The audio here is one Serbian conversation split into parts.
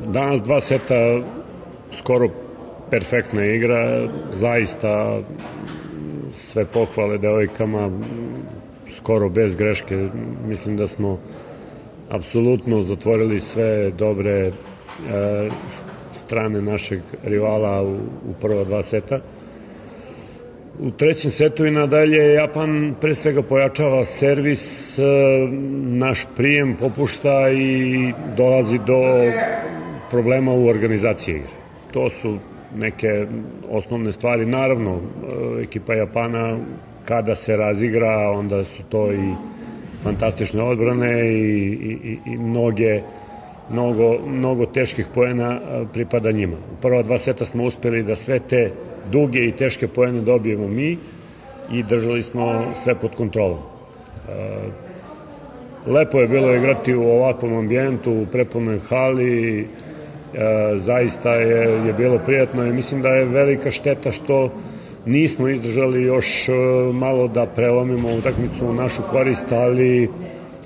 Danas dva seta, skoro perfektna igra, zaista sve pohvale devojkama, skoro bez greške. Mislim da smo apsolutno zatvorili sve dobre strane našeg rivala u prva dva seta. U trećem setu i nadalje Japan pre svega pojačava servis, naš prijem popušta i dolazi do problema u organizaciji igre. To su neke osnovne stvari. Naravno, ekipa Japana kada se razigra, onda su to i fantastične odbrane i mnogo teških poena pripada njima. U prva dva seta smo uspeli da sve te duge i teške poene dobijemo mi i držali smo sve pod kontrolom. Lepo je bilo igrati u ovakvom ambijentu, u prepunoj hali, zaista je bilo prijatno i mislim da je velika šteta što nismo izdržali još malo da prelomimo utakmicu u našu korist, ali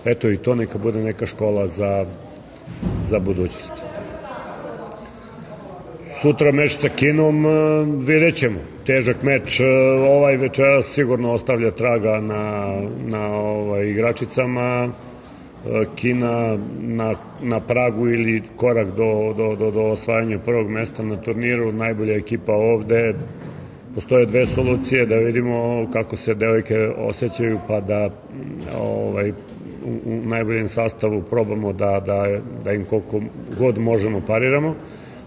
eto i to neka bude neka škola za budućnost. Sutra meč sa Kinom, vidjet ćemo. Težak meč, ovaj večeras sigurno ostavlja traga na igračicama. Kina na pragu ili korak do osvajanja prvog mesta na turniru, najbolja ekipa ovde. Postoje dve solucije, da vidimo kako se devojke osjećaju, pa da u najboljem sastavu probamo da im koliko god možemo pariramo,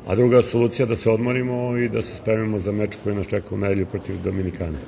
a druga solucija da se odmorimo i da se spremimo za meč koji nas čeka u nedelju protiv Dominikane.